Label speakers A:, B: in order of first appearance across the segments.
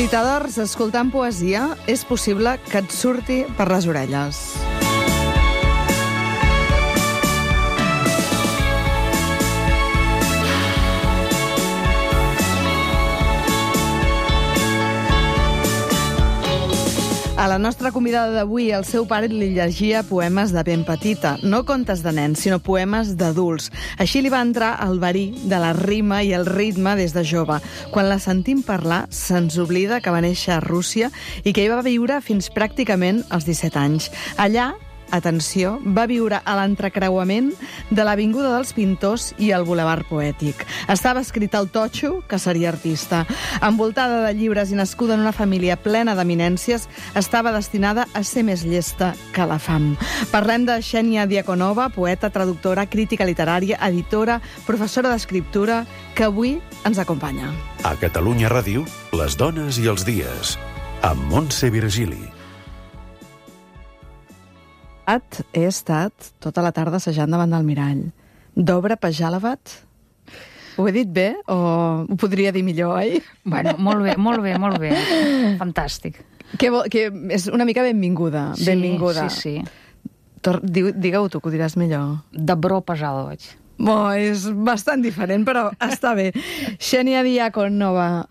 A: Visitadors, escoltant poesia, és possible que et surti per les orelles. A la nostra convidada d'avui, el seu pare li llegia poemes de ben petita. No contes de nens, sinó poemes d'adults. Així li va entrar el verí de la rima i el ritme des de jove. Quan la sentim parlar, se'ns oblida que va néixer a Rússia i que hi va viure fins pràcticament als 17 anys. Allà, atenció, va viure a l'entrecreuament de l'Avinguda dels Pintors i el Bulevard Poètic. Estava escrit al totxo que seria artista. Envoltada de llibres i nascuda en una família plena d'eminències, estava destinada a ser més llesta que la fam. Parlem de Xènia Diakonova, poeta, traductora, crítica literària, editora, professora d'escriptura, que avui ens acompanya.
B: A Catalunya Ràdio, les dones i els dies, amb Montse Virgili.
A: He estat tota la tarda assajant davant del mirall. Dobra Pajalavat? Ho he dit bé o ho podria dir millor, oi?
C: Bueno, molt bé. Fantàstic.
A: Que és una mica benvinguda.
C: Sí,
A: benvinguda.
C: Sí.
A: Digue-ho tu, que ho diràs millor.
C: Dobro Pajalovaig.
A: És bastant diferent, però està bé. Xènia Diakonova,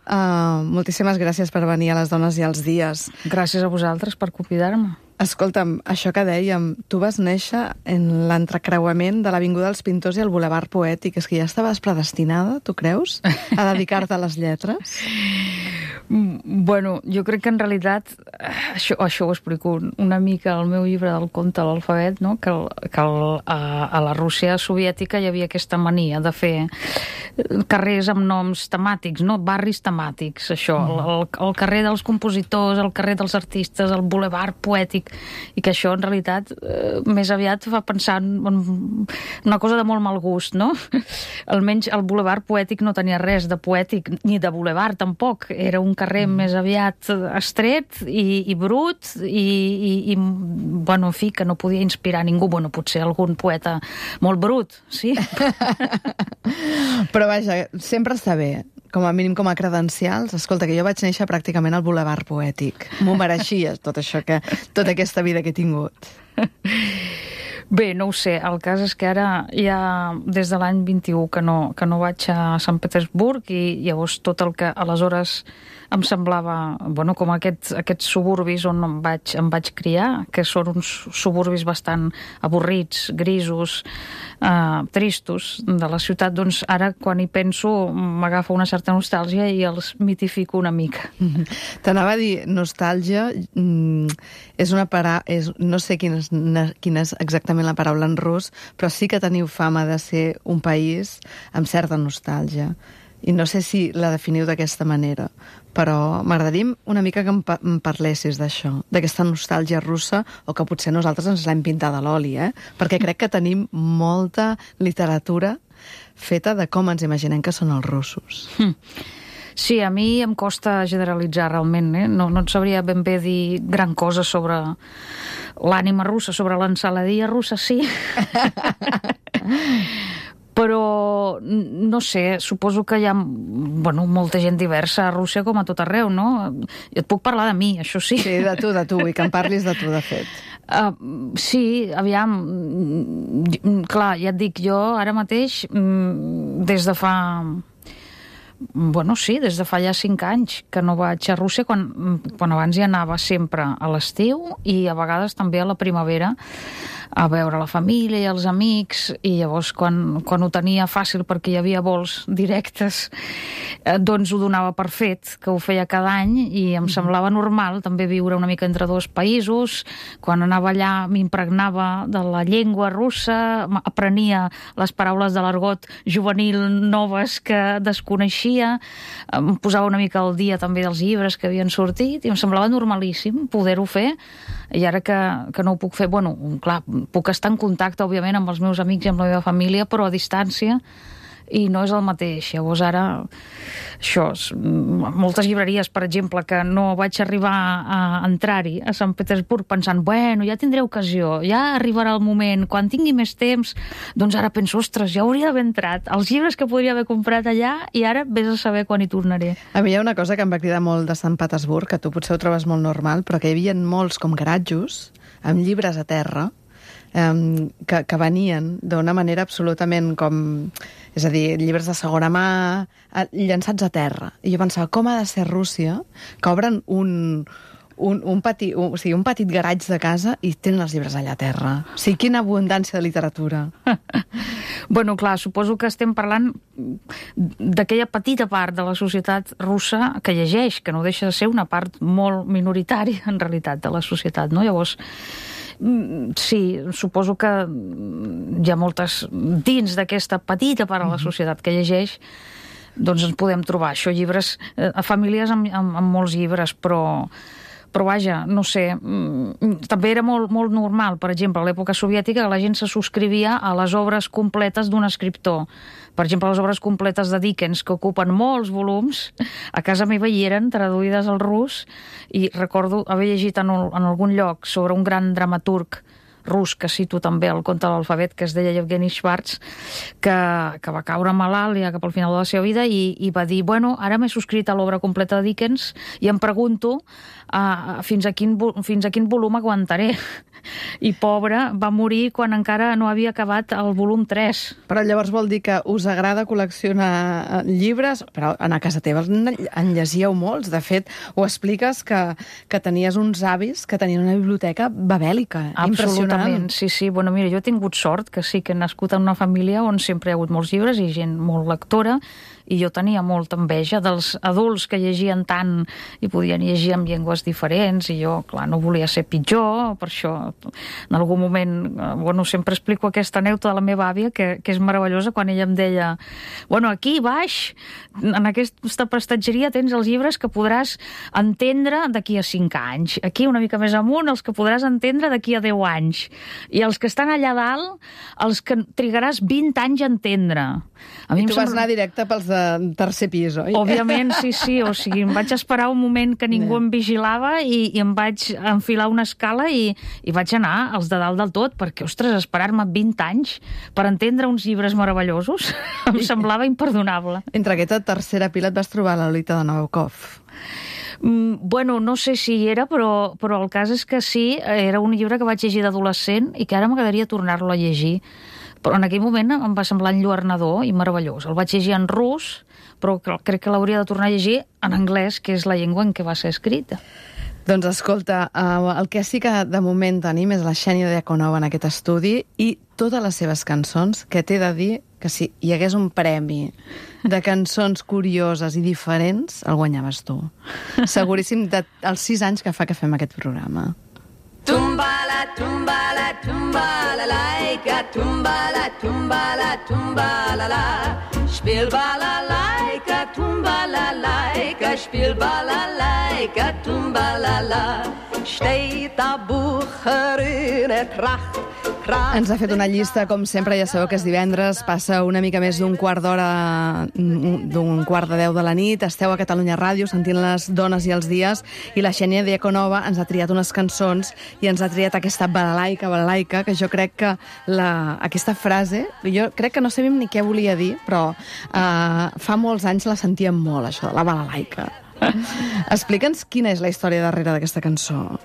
A: moltíssimes gràcies per venir a Les Dones i els Dies.
C: Gràcies a vosaltres per convidar-me.
A: Escolta'm, això que dèiem, tu vas néixer en l'entrecreuament de l'Avinguda dels Pintors i el Bulevard Poètic. És que ja estaves predestinada, tu creus, a dedicar-te a les lletres?
C: Bueno, jo crec que en realitat, això ho explico una mica al meu llibre del conte a l'alfabet, no? que a la Rússia soviètica hi havia aquesta mania de fer carrers amb noms temàtics, no? Barris temàtics, això, el carrer dels compositors, el carrer dels artistes, el Bulevard Poètic, i que això en realitat més aviat fa pensar en una cosa de molt mal gust, no? Almenys el Bulevard Poètic no tenia res de poètic, ni de bulevard tampoc, era un carrer més aviat estret i brut i bueno, en fi, que no podia inspirar ningú. Bueno, potser algun poeta molt brut, sí?
A: Però vaja, sempre està bé, com a mínim com a credencials. Escolta, que jo vaig néixer pràcticament al Bulevard Poètic. M'ho mereixia, tot això, tota aquesta vida que he tingut.
C: Bé, no ho sé, el cas és que ara ja des de l'any 21 que no vaig a Sant Petersburg i llavors tot el que aleshores em semblava, bueno, com aquests suburbis on em vaig criar, que són uns suburbis bastant avorrits, grisos, tristos de la ciutat, doncs ara quan hi penso m'agafa una certa nostàlgia i els mitifico una mica.
A: T'anava a dir, nostàlgia és una no sé quina és exactament la paraula en rus, però sí que teniu fama de ser un país amb certa nostàlgia. I no sé si la definiu d'aquesta manera, però m'agradaria una mica que em parlessis d'això, d'aquesta nostàlgia russa, o que potser nosaltres ens l'hem pintat a l'oli, perquè crec que tenim molta literatura feta de com ens imaginem que són els russos.
C: Sí, a mi em costa generalitzar realment, no et sabria ben bé dir gran cosa sobre l'ànima russa, sobre l'ensaladia russa, sí. Però, no sé, suposo que hi ha molta gent diversa a Rússia com a tot arreu, no? Jo et puc parlar de mi, això sí.
A: Sí, de tu, i que em parlis de tu, de fet.
C: Sí, aviam, clar, ja et dic, jo ara mateix, des de fa... des de fa ja 5 anys que no vaig a Rússia, quan abans hi anava sempre a l'estiu i a vegades també a la primavera a veure la família i els amics, i llavors quan ho tenia fàcil perquè hi havia vols directes, doncs ho donava per fet, que ho feia cada any, i em semblava normal també viure una mica entre dos països. Quan anava allà m'impregnava de la llengua russa, aprenia les paraules de l'argot juvenil noves que desconeixia, em posava una mica al dia també dels llibres que havien sortit, i em semblava normalíssim poder-ho fer. I ara que no ho puc fer, clar, puc estar en contacte, òbviament, amb els meus amics i amb la meva família, però a distància, i no és el mateix. Llavors ara, això, moltes llibreries, per exemple, que no vaig arribar a entrar-hi a Sant Petersburg pensant, bueno, ja tindré ocasió, ja arribarà el moment, quan tingui més temps, doncs ara penso, ostres, ja hauria d'haver entrat. Els llibres que podria haver comprat allà i ara vés a saber quan hi tornaré.
A: A mi hi ha una cosa que em va cridar molt de Sant Petersburg, que tu potser ho trobes molt normal, però que hi havia molts com garatjos amb llibres a terra, que venien d'una manera absolutament com... És a dir, llibres de segona mà llançats a terra. I jo pensava, com ha de ser Rússia, que obren un petit garatge de casa i tenen els llibres allà a terra. O sigui, quina abundància de literatura.
C: Bueno, clar, suposo que estem parlant d'aquella petita part de la societat russa que llegeix, que no deixa de ser una part molt minoritària, en realitat, de la societat, no? Llavors, sí, suposo que hi ha moltes... Dins d'aquesta petita part de la societat que llegeix, doncs ens podem trobar això, llibres, famílies amb molts llibres, però vaja, no sé, també era molt normal, per exemple, a l'època soviètica la gent se subscrivia a les obres completes d'un escriptor. Per exemple, les obres completes de Dickens, que ocupen molts volums, a casa meva hi eren, traduïdes al rus, i recordo haver llegit en algun lloc sobre un gran dramaturg rus, que cito també el conte de l'alfabet, que es deia Yevgeny Schwartz, que va caure malalt ja cap al final de la seva vida i va dir, bueno, ara m'he subscrit a l'obra completa de Dickens i em pregunto fins a quin volum aguantaré. I pobre, va morir quan encara no havia acabat el volum 3.
A: Però llavors vol dir que us agrada col·leccionar llibres, però a casa teva en llegíeu molts. De fet, ho expliques que tenies uns avis que tenien una biblioteca babèlica.
C: Absolutament, sí. Bueno, mira, jo he tingut sort que sí que he nascut en una família on sempre hi ha hagut molts llibres i gent molt lectora, i jo tenia molta enveja dels adults que llegien tant i podien llegir en llengües diferents, i jo, clar, no volia ser pitjor, per això en algun moment, bueno, sempre explico aquesta anècdota de la meva àvia, que és meravellosa, quan ella em deia, bueno, aquí baix, en aquesta prestatgeria tens els llibres que podràs entendre d'aquí a 5 anys, aquí una mica més amunt els que podràs entendre d'aquí a 10 anys, i els que estan allà dalt, els que trigaràs 20 anys a entendre.
A: I tu vas anar directe pels de tercer pis, oi?
C: Òbviament, sí. O sigui, em vaig esperar un moment que ningú em vigilava i em vaig enfilar una escala i vaig anar als de dalt del tot, perquè, ostres, esperar-me 20 anys per entendre uns llibres meravellosos em semblava imperdonable.
A: Entre aquesta tercera pila et vas trobar la Lolita de Nabokov.
C: Bueno, no sé si hi era, però el cas és que sí, era un llibre que vaig llegir d'adolescent i que ara m'agradaria tornar-lo a llegir. Però en aquell moment em va semblar enlluernador i meravellós. El vaig llegir en rus, però crec que l'hauria de tornar a llegir en anglès, que és la llengua en què va ser escrita.
A: Doncs escolta, el que sí que de moment tenim és la Xènia Diakonova en aquest estudi i totes les seves cançons, que t'he de dir que si hi hagués un premi de cançons curioses i diferents, el guanyaves tu. Seguríssim dels 6 anys que fa que fem aquest programa.
D: Tumbala, tumbala, tumbala, laika, tumbala, tumbala, tumbala, la. Spiel balalaika, tumbala, spiel balalaika, tumbala, la. Steht a Bucherin et Tracht.
A: Ens ha fet una llista, com sempre, ja sabeu que és divendres, passa una mica més d'un quart d'hora, d'un quart de 10 de la nit, esteu a Catalunya Ràdio sentint les dones i els dies, i la Xènia Diakonova ens ha triat unes cançons i ens ha triat aquesta balalaika, que jo crec que aquesta frase, jo crec que no sabíem ni què volia dir, però fa molts anys la sentíem molt, això, la balalaika. Explica'ns quina és la història darrere d'aquesta cançó.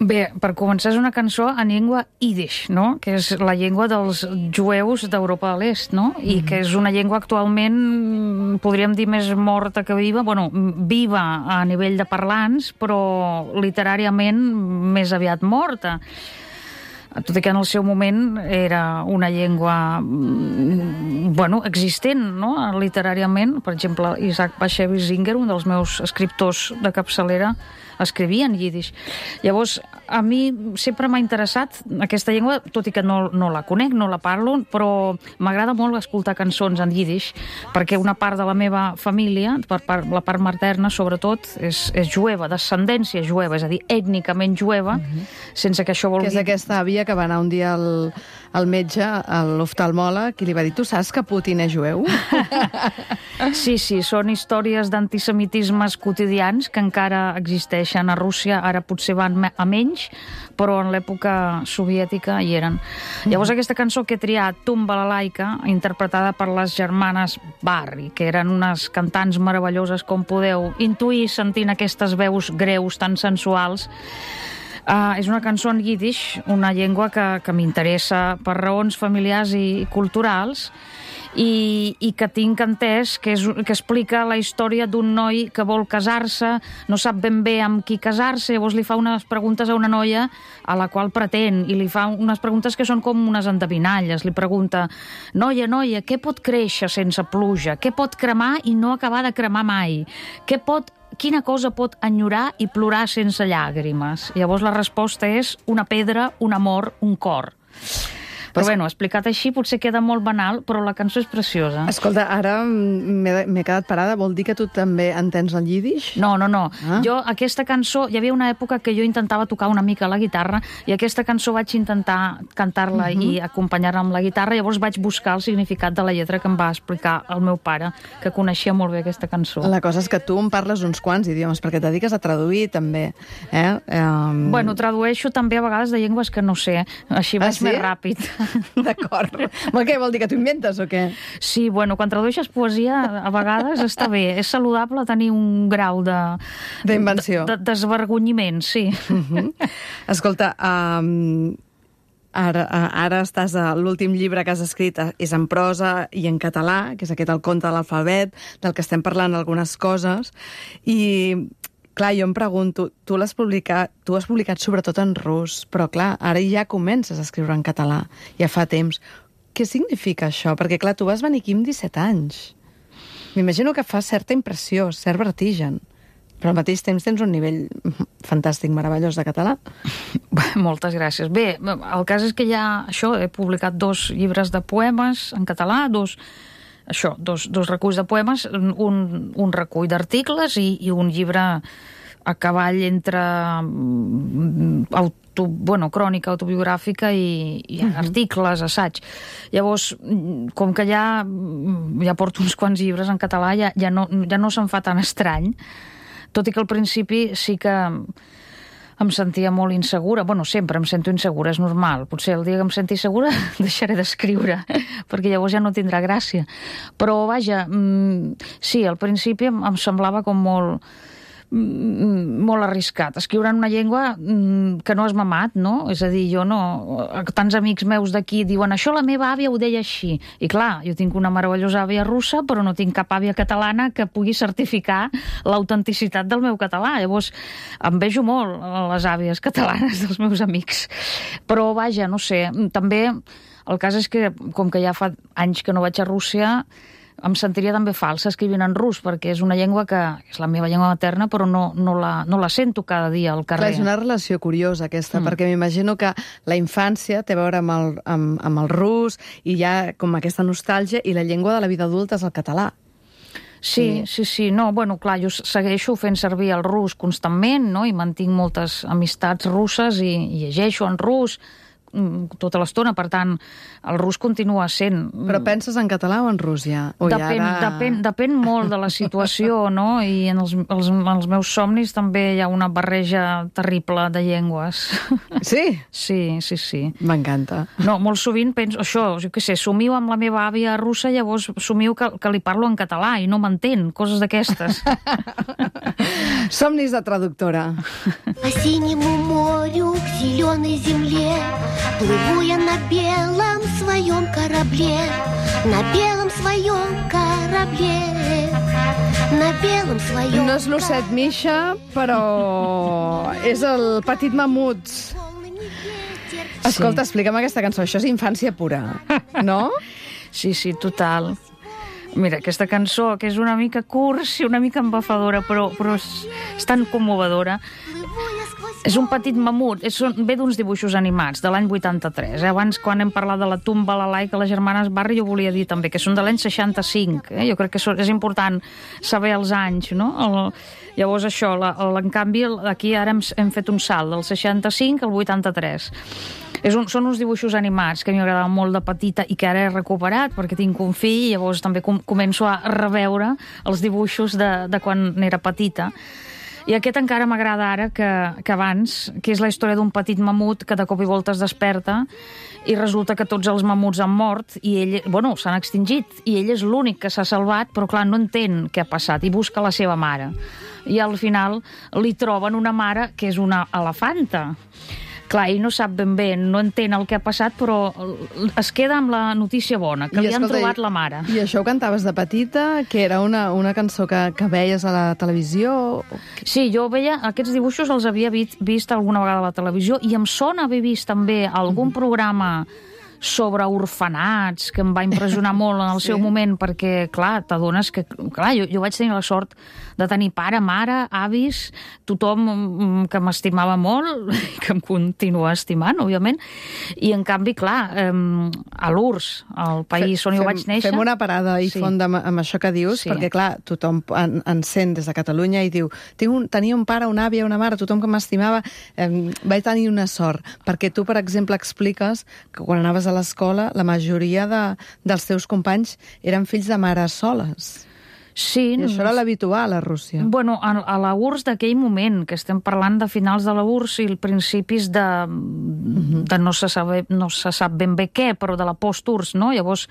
C: Bé, per començar, és una cançó en llengua Yiddish, no? Que és la llengua dels jueus d'Europa de l'Est, no? I que és una llengua actualment, podríem dir, més morta que viva. Bueno, viva a nivell de parlants, però literàriament més aviat morta. Tot i que en el seu moment era una llengua existent, no? Literàriament. Per exemple, Isaac Bashevis Singer, un dels meus escriptors de capçalera, escrivia en Yiddish. Llavors, a mi sempre m'ha interessat aquesta llengua, tot i que no la conec, no la parlo, però m'agrada molt escoltar cançons en Yiddish, perquè una part de la meva família, la part materna sobretot, és jueva, d'ascendència jueva, és a dir, ètnicament jueva, sense que això vol dir...
A: Que és aquesta àvia que va anar un dia el metge, l'oftalmòleg, i li va dir, tu saps que Putin és jueu?
C: Sí, són històries d'antisemitismes quotidians que encara existeixen a Rússia, ara potser van a menys, però en l'època soviètica hi eren. Llavors aquesta cançó que he triat, Tumba la laica, interpretada per les germanes Barri, que eren unes cantants meravelloses, com podeu intuir sentint aquestes veus greus tan sensuals. És una cançó en yiddish, una llengua que m'interessa per raons familiars i culturals, i que tinc entès que explica la història d'un noi que vol casar-se, no sap ben bé amb qui casar-se, llavors li fa unes preguntes a una noia a la qual pretén, i li fa unes preguntes que són com unes endevinalles. Li pregunta, noia, què pot créixer sense pluja? Què pot cremar i no acabar de cremar mai? Quina cosa pot enyorar i plorar sense llàgrimes? Llavors la resposta és una pedra, un amor, un cor. Però bueno, explicat així potser queda molt banal, però la cançó és preciosa.
A: Escolta, ara m'he quedat parada. Vol dir que tu també entens el yiddish?
C: No. Jo, aquesta cançó, hi havia una època que jo intentava tocar una mica la guitarra, i aquesta cançó vaig intentar cantar-la i acompanyar-la amb la guitarra, llavors vaig buscar el significat de la lletra que em va explicar el meu pare, que coneixia molt bé aquesta cançó.
A: La cosa és que tu en parles uns quants idiomes, perquè et dediques a traduir també.
C: Bueno, tradueixo també a vegades de llengües que no sé, així vaig més ràpid.
A: D'acord. Què vol dir, que t'ho inventes o què?
C: Sí, bueno, quan tradueixes poesia a vegades està bé. És saludable tenir un grau
A: d'invenció.
C: De desvergonyiment, sí.
A: Escolta, ara estàs a l'últim llibre que has escrit, és en prosa i en català, que és aquest El conte de l'alfabet, del que estem parlant algunes coses, i clar, jo em pregunto, tu has publicat sobretot en rus, però clar, ara ja comences a escriure en català, ja fa temps. Què significa això? Perquè clar, tu vas venir aquí amb 17 anys. M'imagino que fa certa impressió, cert vertigen, però al mateix temps tens un nivell fantàstic, meravellós de català.
C: Moltes gràcies. Bé, el cas és que ja, he publicat 2 llibres de poemes en català, dos reculls de poemes, un recull d'articles i un llibre a cavall entre crònica autobiogràfica i articles, assaig. Llavors, com que ja porto uns quants llibres en català, ja no se'm fa tan estrany, tot i que al principi sí que em sentia molt insegura. Bueno, sempre em sento insegura, és normal. Potser el dia que em senti segura deixaré d'escriure, perquè llavors ja no tindrà gràcia. Però, vaja, sí, al principi em semblava com molt arriscat. Escriure en una llengua que no has mamat, no? És a dir, jo no... Tants amics meus d'aquí diuen això la meva àvia ho deia així. I clar, jo tinc una meravellosa àvia russa, però no tinc cap àvia catalana que pugui certificar l'autenticitat del meu català. Llavors, em vejo molt les àvies catalanes dels meus amics. Però, vaja, no sé, també el cas és que, com que ja fa anys que no vaig a Rússia, em sentiria també falsa escrivint en rus, perquè és una llengua que és la meva llengua materna, però no la sento cada dia al carrer.
A: Clar, és una relació curiosa aquesta, perquè m'imagino que la infància té a veure amb el rus, i hi ha com aquesta nostàlgia, i la llengua de la vida adulta és el català.
C: Sí. No, bueno, clar, jo segueixo fent servir el rus constantment, no? I mantinc moltes amistats russes i llegeixo en rus tota l'estona, per tant, el rus continua sent...
A: Però penses en català o en rus ja?
C: Depèn molt de la situació, no? I en els meus somnis també hi ha una barreja terrible de llengües.
A: Sí?
C: Sí.
A: M'encanta.
C: No, molt sovint penso, jo què sé, somio amb la meva àvia russa, llavors somio que li parlo en català i no m'entén, coses d'aquestes.
A: Somnis de traductora.
E: По синему морю к зеленой земле плыву я на белом своем корабле, на белом своем корабле, на белом своем...
A: No és l'osset Misha, però és el petit mamut. Escolta, explica'm aquesta cançó. Això és infància pura, no?
C: Sí, total. Mira, aquesta cançó, que és una mica cursi, una mica embafadora, però és tan commovedora. És un petit mamut, ve d'uns dibuixos animats de l'any 83. Abans, quan hem parlat de la Tumba la laica, les germanes Barri, jo volia dir també que són de l'any 65. Jo crec que és important saber els anys, no? Llavors això, en canvi, aquí ara hem fet un salt del 65 al 83. Són uns dibuixos animats que a mi m'agradaven molt de petita i que ara he recuperat perquè tinc un fill i llavors també començo a reveure els dibuixos de quan era petita. I aquest encara m'agrada ara que abans, que és la història d'un petit mamut que de cop i volta es desperta i resulta que tots els mamuts han mort i ell, s'han extingit i ell és l'únic que s'ha salvat, però clar, no entén què ha passat i busca la seva mare. I al final li troben una mare que és una elefanta. Clar, ell no sap ben bé, no entén el que ha passat, però es queda amb la notícia bona, que li han trobat la mare.
A: I això ho cantaves de petita? Que era una cançó que veies a la televisió?
C: Sí, jo veia aquests dibuixos, els havia vist alguna vegada a la televisió, i em sona haver vist també algun programa sobre orfenats, que em va impressionar molt en el seu moment, perquè, clar, t'adones que... Clar, jo vaig tenir la sort de tenir pare, mare, avis, tothom que m'estimava molt, i que em continua estimant, òbviament, i en canvi, clar, a l'URSS, al país on jo vaig néixer...
A: Fem una parada i fonda amb això que dius, perquè, clar, tothom en sent des de Catalunya i diu tenia un pare, una àvia, una mare, tothom que m'estimava, vaig tenir una sort, perquè tu, per exemple, expliques que quan anaves a l'escola, la majoria dels teus companys eren fills de mares soles.
C: Sí.
A: I això era l'habitual a Rússia.
C: Bueno, a la URSS d'aquell moment, que estem parlant de finals de la URSS i principis de no se sap ben bé què, però de la post-URSS, no? Llavors,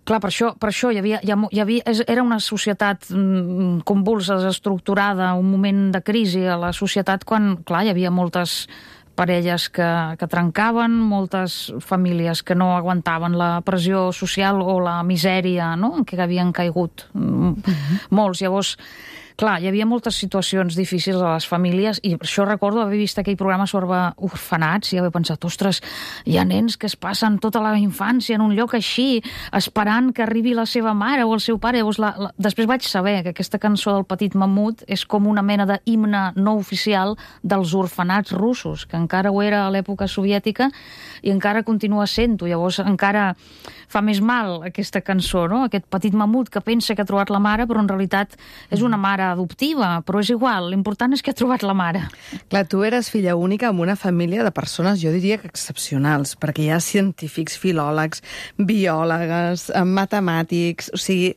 C: clar, per això hi havia, era una societat convulsa, desestructurada, un moment de crisi a la societat quan, clar, hi havia moltes parelles que trencaven, moltes famílies que no aguantaven la pressió social o la misèria, no?, en què havien caigut molts. Llavors, clar, hi havia moltes situacions difícils a les famílies i per això recordo haver vist aquell programa sobre orfenats i haver pensat, ostres, hi ha nens que es passen tota la infància en un lloc així, esperant que arribi la seva mare o el seu pare. Llavors, després vaig saber que aquesta cançó del Petit Mamut és com una mena d'himne no oficial dels orfenats russos, que encara ho era a l'època soviètica i encara continua sent-ho. Llavors, encara fa més mal aquesta cançó, no? Aquest petit mamut que pensa que ha trobat la mare, però en realitat és una mare adoptiva, però és igual, l'important és que ha trobat la mare.
A: Clar, tu eres filla única amb una família de persones, jo diria que excepcionals, perquè hi ha científics, filòlegs, biòlegs, matemàtics, o sigui...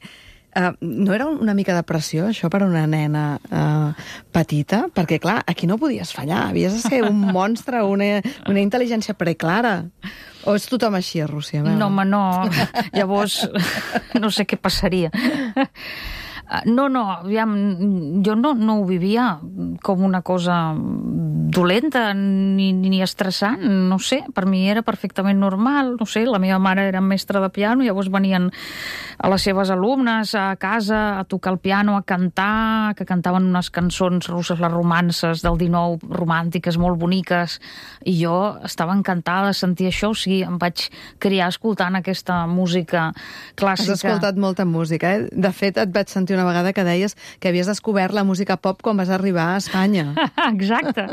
A: no era una mica de pressió, això, per una nena petita? Perquè, clar, aquí no podies fallar, havies de ser un monstre, una intel·ligència preclara. O és tothom així a Rússia?
C: No, home, no. Llavors, no sé què passaria. No, aviam, jo no ho vivia com una cosa dolenta ni estressant, no sé, per mi era perfectament normal, no sé, la meva mare era mestra de piano, llavors venien a les seves alumnes a casa a tocar el piano, a cantar, que cantaven unes cançons russes, les romances del 19, romàntiques, molt boniques, i jo estava encantada de sentir això, o sigui, em vaig criar escoltant aquesta música clàssica.
A: Has escoltat molta música, eh? De fet, et vaig sentir una vegada que deies que havies descobert la música pop quan vas arribar a Espanya.
C: Exacte.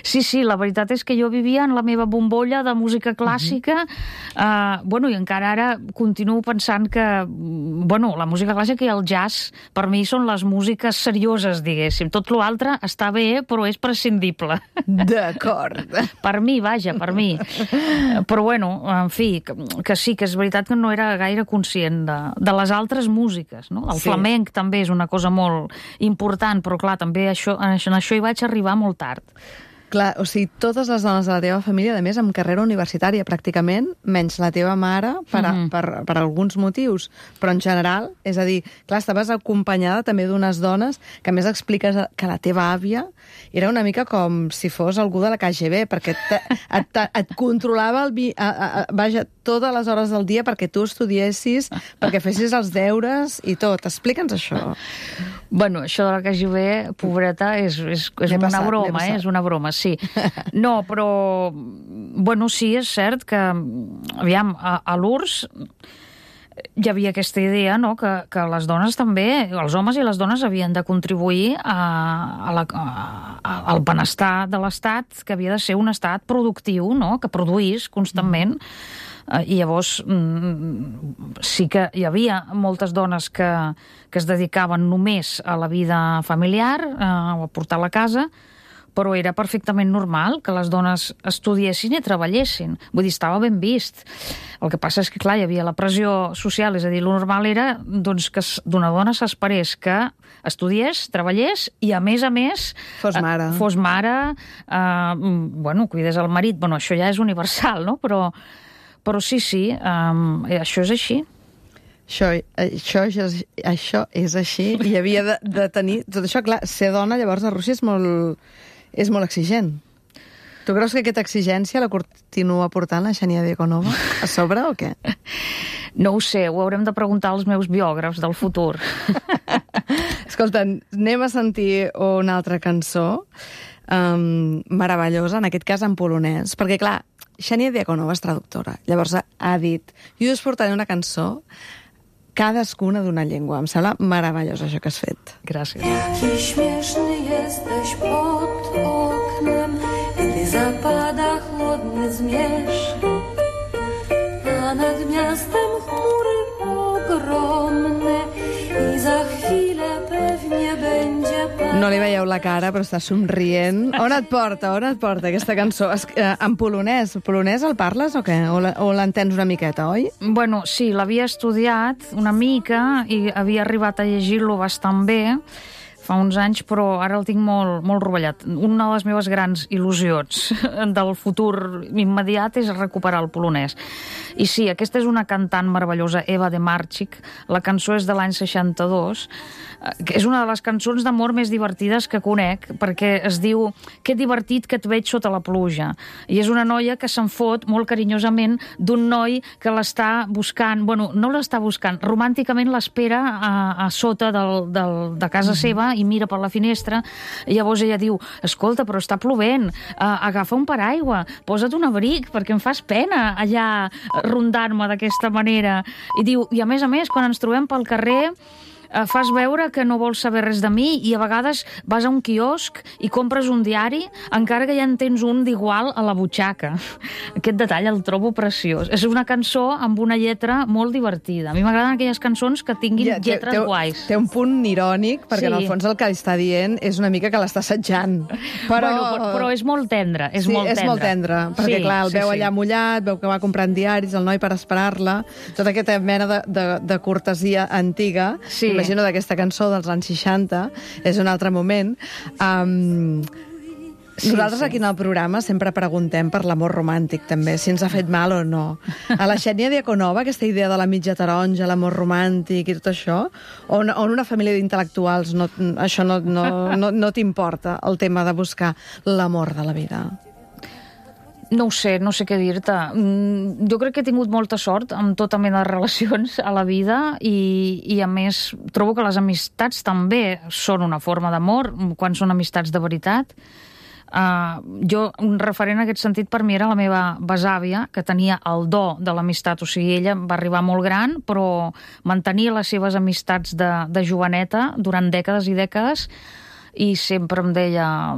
C: Sí, la veritat és que jo vivia en la meva bombolla de música clàssica, i encara ara continuo pensant que, la música clàssica i el jazz per mi són les músiques serioses, diguéssim. Tot l'altre està bé, però és prescindible.
A: D'acord.
C: Per mi, vaja, per mi. Però en fi, que sí, que és veritat que no era gaire conscient de les altres músiques, no? El flamenc també és una cosa molt important, però clar, també en això hi vaig arribar molt tard.
A: Clar, o sigui, totes les dones de la teva família, a més, amb carrera universitària, pràcticament, menys la teva mare, per alguns motius. Però en general, és a dir, clar, estaves acompanyada també d'unes dones que, a més, expliques que la teva àvia era una mica com si fos algú de la KGB, perquè et controlava totes les hores del dia perquè tu estudiessis, perquè fessis els deures i tot. Explica'ns això.
C: Bueno, això de la KGB, pobreta, és una broma, és una broma, sí. No, però, sí, és cert que, aviam, a l'URSS hi havia aquesta idea, no?, que les dones també, els homes i les dones havien de contribuir al benestar de l'Estat, que havia de ser un estat productiu, no?, que produís constantment. I llavors sí que hi havia moltes dones que es dedicaven només a la vida familiar, o a portar la casa, però era perfectament normal que les dones estudiessin i treballessin. Vull dir, estava ben vist. El que passa és que, clar, hi havia la pressió social, és a dir, lo normal era doncs, que d'una dona s'esperés que estudiés, treballés i, a més,
A: fos mare,
C: cuidés el marit. Bueno, això ja és universal, no? Però sí, això és així.
A: Això és així i havia de tenir... Tot això, clar, ser dona llavors a Rússia és molt exigent. Tu creus que aquesta exigència la continua portant la Xènia Diakonova a sobre o què?
C: No ho sé, ho haurem de preguntar als meus biògrafs del futur.
A: Escolta, anem a sentir una altra cançó meravellosa, en aquest cas en polonès, perquè clar, Xènia Diakonova és traductora, llavors ha dit, jo us portaré una cançó cadascuna d'una llengua. Em sembla meravellós això que has fet.
C: Gràcies.
F: Jaki śmieszny jesteś pod oknem, gdy zapada chłodny zmierzch, a nad miastem chmury ogromne i za chwilę pewnie będzie pan.
A: No li veieu la cara, però està somrient. On et porta aquesta cançó? En polonès. Polonès el parles o què? O l'entens una miqueta, oi?
C: Bueno, sí, l'havia estudiat una mica i havia arribat a llegir-lo bastant bé fa uns anys, però ara el tinc molt, molt rovellat. Una de les meves grans il·lusions del futur immediat és recuperar el polonès. I sí, aquesta és una cantant meravellosa, Eva de Marchik. La cançó és de l'any 62, que és una de les cançons d'amor més divertides que conec, perquè es diu que divertit que et veig sota la pluja. I és una noia que se'n fot molt carinyosament d'un noi que l'està buscant, bueno, no l'està buscant, romànticament l'espera a sota de casa seva i mira per la finestra, i llavors ella diu, escolta, però està plovent, agafa un paraigua, posa't un abric, perquè em fas pena allà rondant-me d'aquesta manera. I diu, i a més, quan ens trobem pel carrer, fas veure que no vols saber res de mi i a vegades vas a un quiosc i compres un diari, encara que ja en tens un d'igual a la butxaca. Aquest detall el trobo preciós. És una cançó amb una lletra molt divertida. A mi m'agraden aquelles cançons que tinguin lletres guais.
A: Té un punt irònic, perquè en el fons el que està dient és una mica que l'està assetjant.
C: Però és molt tendre. És molt tendre,
A: perquè clar, el veu allà mullat, veu que va comprant diaris, el noi per esperar-la, tota aquesta mena de cortesia antiga.
C: Sí.
A: Imagino d'aquesta cançó dels anys 60, és un altre moment. Nosaltres aquí en el programa sempre preguntem per l'amor romàntic, també, si ens ha fet mal o no. A la Xènia Diakonova, aquesta idea de la mitja taronja, l'amor romàntic i tot això, o en una família d'intel·lectuals això no t'importa, el tema de buscar l'amor de la vida?
C: No ho sé, no sé què dir-te. Jo crec que he tingut molta sort amb tota mena de relacions a la vida i a més, trobo que les amistats també són una forma d'amor quan són amistats de veritat. Un referent en aquest sentit per mi era la meva besàvia, que tenia el do de l'amistat, o sigui, ella va arribar molt gran, però mantenia les seves amistats de joveneta durant dècades i dècades, i sempre em deia,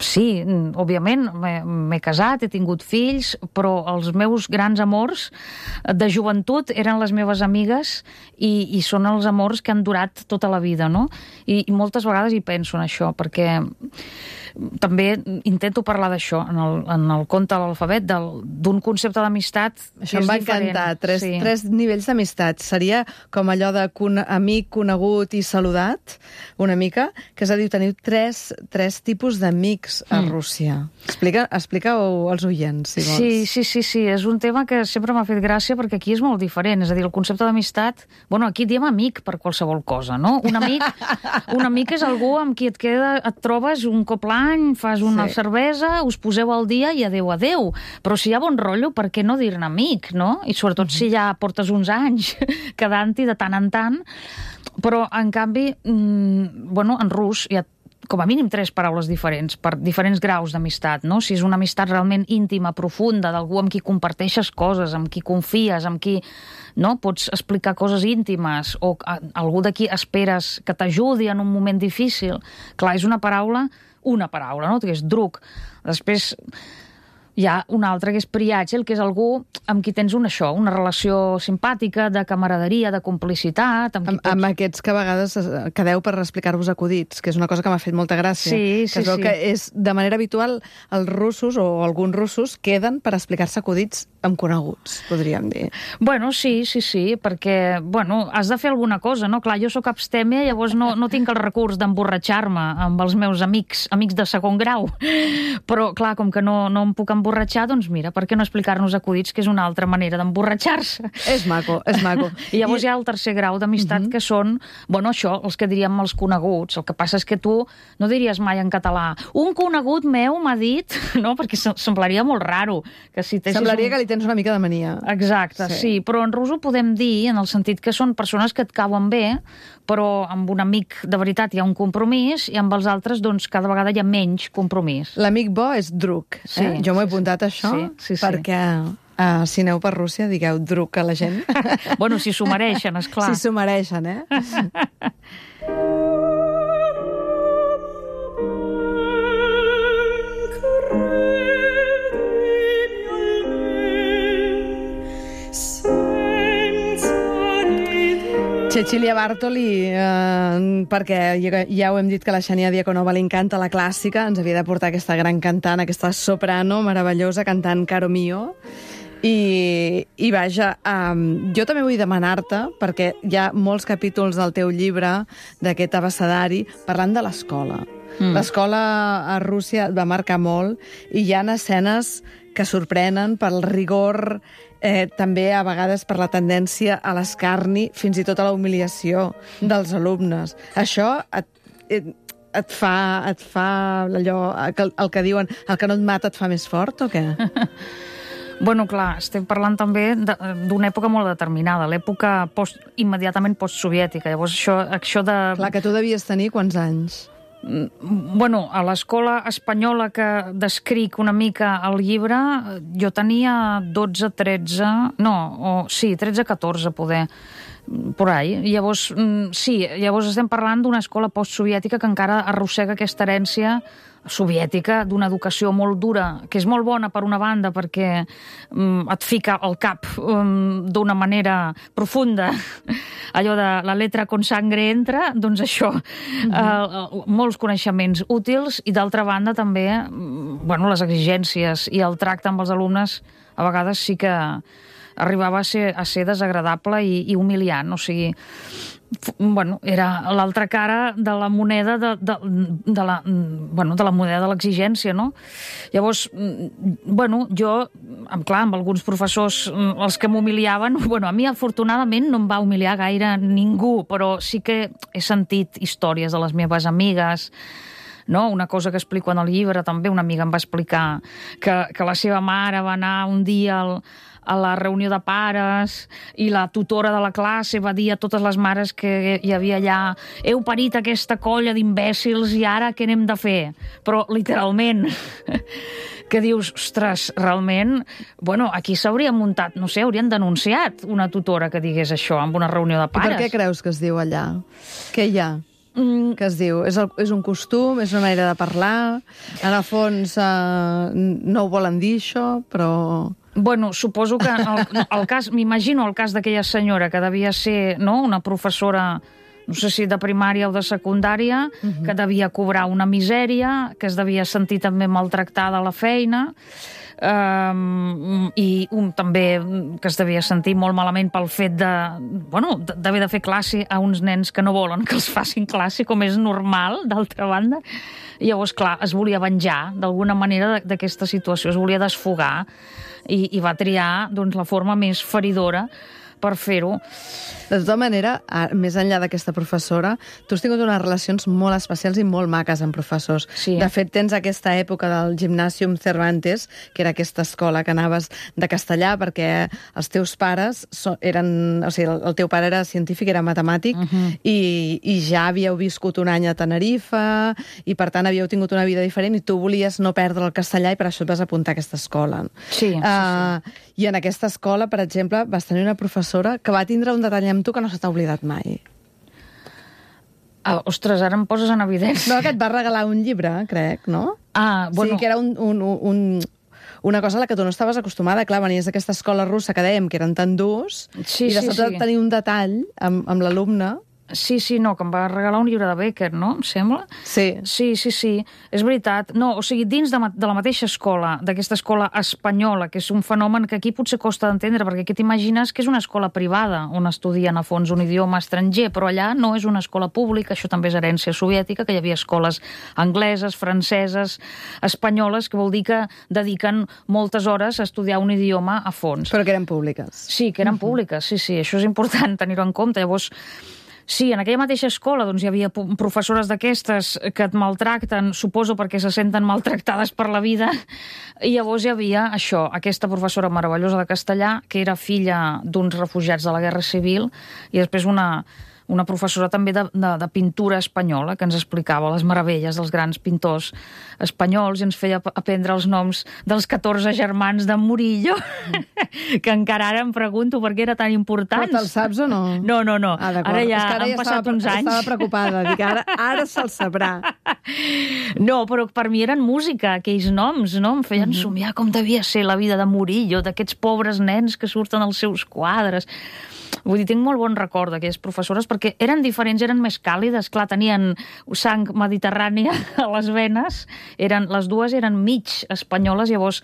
C: sí, òbviament, m'he casat, he tingut fills, però els meus grans amors de joventut eren les meves amigues i són els amors que han durat tota la vida, no? I moltes vegades hi penso en això, perquè també intento parlar d'això en el conte de l'alfabet, d'un concepte d'amistat que és diferent.
A: Això em va encantar, tres nivells d'amistat. Seria com allò de amic, conegut i saludat, una mica, que és a dir, teniu tres tipus d'amics a Rússia. Explica-ho als oients, si vols.
C: Sí, és un tema que sempre m'ha fet gràcia perquè aquí és molt diferent, és a dir, el concepte d'amistat, bueno, aquí diem amic per qualsevol cosa, no? Un amic és algú amb qui et trobes un cop l'any, fas una cervesa, us poseu al dia i adeu. Però si hi ha bon rotllo, per què no dir-ne amic, no? I sobretot si ja portes uns anys quedant-hi de tant en tant. Però, en canvi, en rus hi ha com a mínim 3 paraules diferents per diferents graus d'amistat, no? Si és una amistat realment íntima, profunda, d'algú amb qui comparteixes coses, amb qui confies, amb qui pots explicar coses íntimes, o algú de qui esperes que t'ajudi en un moment difícil. Clar, és una paraula, no? Que és drug. Després, Hi ha un altre que és priàgil, que és algú amb qui tens una relació simpàtica, de camaraderia, de complicitat...
A: Amb aquests que a vegades quedeu per explicar-vos acudits, que és una cosa que m'ha fet molta gràcia.
C: Sí,
A: que es veu que és, de manera habitual, els russos o alguns russos queden per explicar-se acudits amb coneguts, podríem dir.
C: Bueno, sí, perquè, has de fer alguna cosa, no? Clar, jo sóc abstèmia, llavors no tinc el recurs d'emborratxar-me amb els meus amics de segon grau. Però, clar, com que no em puc emborratxar, doncs mira, per què no explicar-nos acudits, que és una altra manera d'emborratxar-se?
A: És maco, és maco.
C: I llavors hi ha el tercer grau d'amistat, que són, això, els que diríem els coneguts. El que passa és que tu no diries mai en català un conegut meu m'ha dit, no? Perquè semblaria molt raro.
A: Semblaria que li tens una mica de mania.
C: Exacte, sí. Però en rus ho podem dir en el sentit que són persones que et cauen bé, però amb un amic de veritat hi ha un compromís i amb els altres, doncs, cada vegada hi ha menys compromís.
A: L'amic bo és druk. Jo m'ho he apuntat, això, perquè si aneu per Rússia, digueu druk a la gent.
C: Bueno, si s'ho mereixen, esclar.
A: Si s'ho mereixen, Cecilia Bartoli, perquè ja ho hem dit que la Xènia Diakonova li encanta la clàssica, ens havia de portar aquesta gran cantant, aquesta soprano meravellosa cantant Caro Mio. I vaja, jo també vull demanar-te, perquè hi ha molts capítols del teu llibre, d'aquest abecedari, parlant de l'escola. L'escola a Rússia va marcar molt i hi ha escenes que sorprenen pel rigor, també a vegades per la tendència a l'escarni, fins i tot a la humiliació dels alumnes. Això et fa allò, el que diuen, el que no et mata et fa més fort, o què?
C: Bueno, clar, estem parlant també d'una època molt determinada, l'època immediatament postsoviètica. Llavors, això de...
A: Clar, que tu devies tenir quants anys?
C: Bueno, a l'escola espanyola que descric una mica al llibre, jo tenia 12, 13... No, 13-14, poder, por ahí. Llavors, llavors estem parlant d'una escola postsoviètica que encara arrossega aquesta herència soviètica d'una educació molt dura, que és molt bona per una banda perquè et fica al cap d'una manera profunda allò de la letra con sangre entra, doncs això, molts coneixements útils i d'altra banda també les exigències i el tracte amb els alumnes a vegades sí que arribava a ser desagradable i humiliant, o sigui, era l'altra cara de la moneda de la moneda de l'exigència, no? Llavors, jo, clar, amb alguns professors, els que m'humiliaven, a mi afortunadament no em va humiliar gaire ningú, però sí que he sentit històries de les meves amigues, no? Una cosa que explico en el llibre, també una amiga em va explicar que la seva mare va anar un dia a la reunió de pares i la tutora de la classe va dir a totes les mares que hi havia allà heu parit aquesta colla d'imbècils i ara què n'hem de fer? Però literalment que dius, ostres, realment aquí s'hauria muntat, no sé, haurien denunciat una tutora que digués això en una reunió de pares.
A: I per què creus que es diu allà? Què hi ha? Que es diu? És un costum? És una manera de parlar? En el fons no ho volen dir això, però...
C: Suposo que el cas, m'imagino el cas d'aquella senyora que devia ser una professora, no sé si de primària o de secundària, que devia cobrar una misèria, que es devia sentir també maltractada a la feina, i també que es devia sentir molt malament pel fet d'haver de fer classe a uns nens que no volen que els facin classe, com és normal, d'altra banda. I llavors, clar, es volia venjar d'alguna manera d'aquesta situació, es volia desfogar i va triar la forma més feridora per fer-ho.
A: De tota manera, més enllà d'aquesta professora, tu has tingut unes relacions molt especials i molt maques amb professors.
C: Sí.
A: De fet, tens aquesta època del Gimnàsium Cervantes, que era aquesta escola que anaves de castellà, perquè els teus pares eren... O sigui, el teu pare era científic, era matemàtic, i ja havíeu viscut un any a Tenerife, i per tant havíeu tingut una vida diferent, i tu volies no perdre el castellà, i per això et vas apuntar a aquesta escola.
C: Sí.
A: I en aquesta escola, per exemple, vas tenir una professora que va tindre un detall amb tu que no se t'ha oblidat mai.
C: Ostres, ara em poses en evidència.
A: No, que et va regalar un llibre, crec, no?
C: Sí,
A: que era una cosa a la que tu no estaves acostumada. Clar, venies d'aquesta escola russa que dèiem que eren tan durs,
C: Sí,
A: i de
C: sí,
A: sobte
C: sí.
A: tenir un detall amb l'alumne.
C: Sí, no, que em va regalar un llibre de Becker, no? Em sembla?
A: Sí.
C: Sí, és veritat. No, o sigui, dins de la mateixa escola, d'aquesta escola espanyola, que és un fenomen que aquí potser costa d'entendre, perquè aquí t'imagines que és una escola privada on estudien a fons un idioma estranger, però allà no és una escola pública, això també és herència soviètica, que hi havia escoles angleses, franceses, espanyoles, que vol dir que dediquen moltes hores a estudiar un idioma a fons.
A: Però que eren públiques.
C: Sí, que eren públiques, sí, això és important tenir-ho en compte. Llavors, sí, en aquella mateixa escola doncs, hi havia professores d'aquestes que et maltracten, suposo perquè se senten maltractades per la vida, i llavors hi havia això, aquesta professora meravellosa de castellà, que era filla d'uns refugiats de la Guerra Civil, i després una professora també de pintura espanyola, que ens explicava les meravelles dels grans pintors espanyols i ens feia aprendre els noms dels 14 germans de Murillo, que encara ara em pregunto per què era tan important.
A: Però te'l saps o no?
C: No.
A: Ah, d'acord.
C: Ara ja
A: És que
C: han passat uns anys.
A: Estava preocupada. Dic, ara se'l sabrà.
C: No, però per mi eren música, aquells noms, no? Em feien somiar com devia ser la vida de Murillo, d'aquests pobres nens que surten als seus quadres. Vull dir, tinc molt bon record d'aquelles professores perquè eren diferents, eren més càlides, clar, tenien sang mediterrània a les venes, les dues eren mig espanyoles, llavors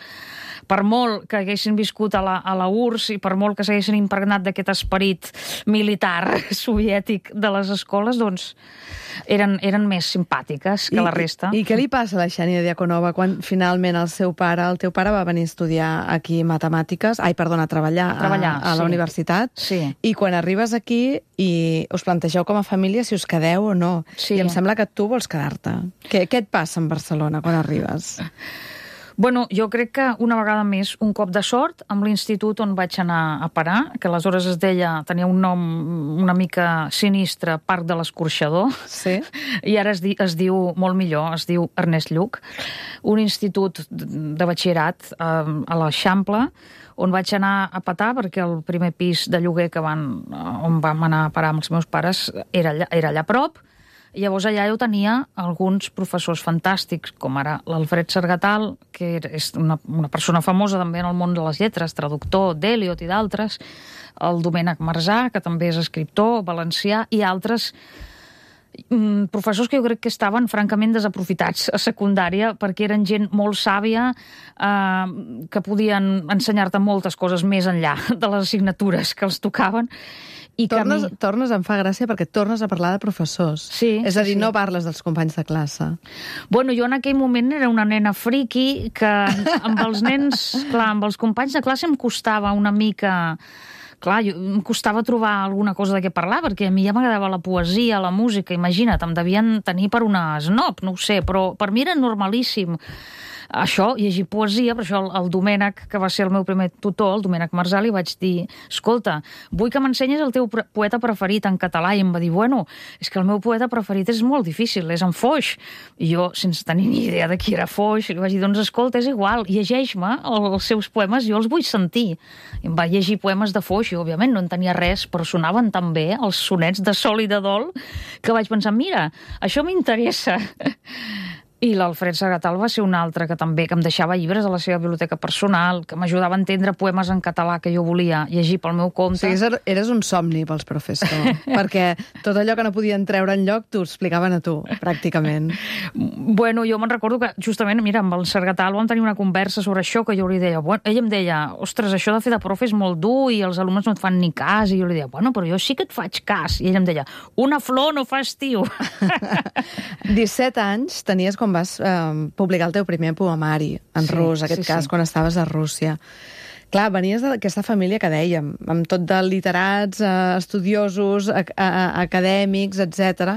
C: per molt que haguessin viscut a la URSS i per molt que s'haguessin impregnat d'aquest esperit militar soviètic de les escoles, doncs eren més simpàtiques que la resta.
A: I què li passa a la Xènia Diakonova quan finalment el teu pare va venir a estudiar aquí matemàtiques, a treballar a la universitat,
C: Sí.
A: I quan arribes aquí i us plantegeu com a família si us quedeu o no,
C: Sí.
A: I em sembla que tu vols quedar-te. Què et passa en Barcelona quan arribes?
C: Bueno, jo crec que una vegada més un cop de sort amb l'institut on vaig anar a parar, que aleshores tenia un nom una mica sinistre, Parc de l'Escorxador,
A: Sí?
C: i ara es diu molt millor, es diu Ernest Lluch, un institut de batxillerat a l'Eixample, on vaig anar a petar perquè el primer pis de lloguer on vam anar a parar amb els meus pares era allà a prop. Llavors allà jo tenia alguns professors fantàstics, com ara l'Alfred Sargatal, que és una persona famosa també en el món de les lletres, traductor d'Eliot i d'altres, el Domènec Marzà, que també és escriptor valencià, i altres professors que jo crec que estaven francament desaprofitats a secundària perquè eren gent molt sàvia que podien ensenyar-te moltes coses més enllà de les assignatures que els tocaven.
A: Tornes, em fa gràcia perquè tornes a parlar de professors.
C: Sí,
A: és a dir,
C: sí.
A: no parles dels companys de classe.
C: Bueno, jo en aquell moment era una nena friqui que amb els nens, clar, amb els companys de classe em costava una mica... Clar, em costava trobar alguna cosa de què parlar, perquè a mi ja m'agradava la poesia, la música, imagina't, em devien tenir per una snob, no ho sé, però per mi era normalíssim. Això, llegir poesia, per això el Domènec, que va ser el meu primer tutor, el Domènec Marzà, li vaig dir, escolta, vull que m'ensenyis el teu poeta preferit en català, i em va dir, bueno, és que el meu poeta preferit és molt difícil, és en Foix. I jo, sense tenir ni idea de qui era Foix, li vaig dir, doncs escolta, és igual, llegeix-me els seus poemes, jo els vull sentir. I em va llegir poemes de Foix, i òbviament no en tenia res, però sonaven tan bé els sonets de Sol i de Dol, que vaig pensar, mira, això m'interessa. I l'Alfred Sargatal va ser un altre que també que em deixava llibres a la seva biblioteca personal, que m'ajudava a entendre poemes en català que jo volia llegir pel meu compte.
A: O sigui, eres un somni pels professors, perquè tot allò que no podien treure enlloc t'ho explicaven a tu, pràcticament.
C: Bueno, jo me'n recordo que justament, mira, amb el Sargatal vam tenir una conversa sobre això, que jo li deia, bueno, ell em deia, ostres, això de fer de profe és molt dur i els alumnes no et fan ni cas, i jo li deia, bueno, però jo sí que et faig cas. I ell em deia, una flor no fa estiu.
A: 17 anys tenies quan vas publicar el teu primer poemari en rus, aquest cas, quan estaves a Rússia. Clar, venies d'aquesta família que dèiem, amb tot de literats, estudiosos, acadèmics, etc.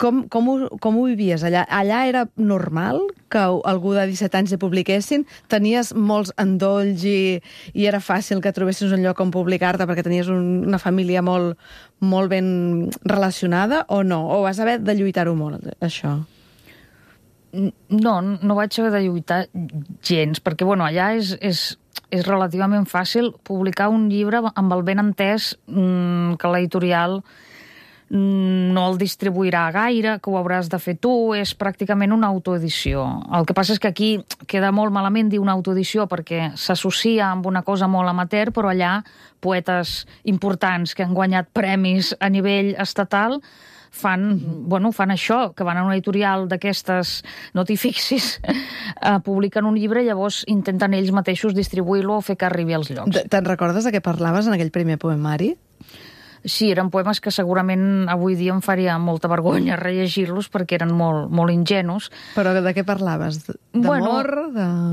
A: Com ho vivies allà? Allà era normal que algú de 17 anys hi publiquessin? Tenies molts endolls i era fàcil que trobessis un lloc on publicar-te perquè tenies una família molt ben relacionada o no? O vas haver de lluitar-ho molt, això?
C: No vaig haver de lluitar gens, perquè bueno, allà és relativament fàcil publicar un llibre amb el ben entès que l'editorial no el distribuirà gaire, que ho hauràs de fer tu, és pràcticament una autoedició. El que passa és que aquí queda molt malament dir una autoedició perquè s'associa amb una cosa molt amateur, però allà poetes importants que han guanyat premis a nivell estatal fan això, que van a una editorial d'aquestes, no t'hi fixis, publiquen un llibre i llavors intenten ells mateixos distribuir-lo o fer que arribi als llocs.
A: Te'n recordes de què parlaves en aquell primer poemari?
C: Sí, eren poemes que segurament avui dia em faria molta vergonya rellegir-los perquè eren molt, molt ingenus.
A: Però de què parlaves? D'amor?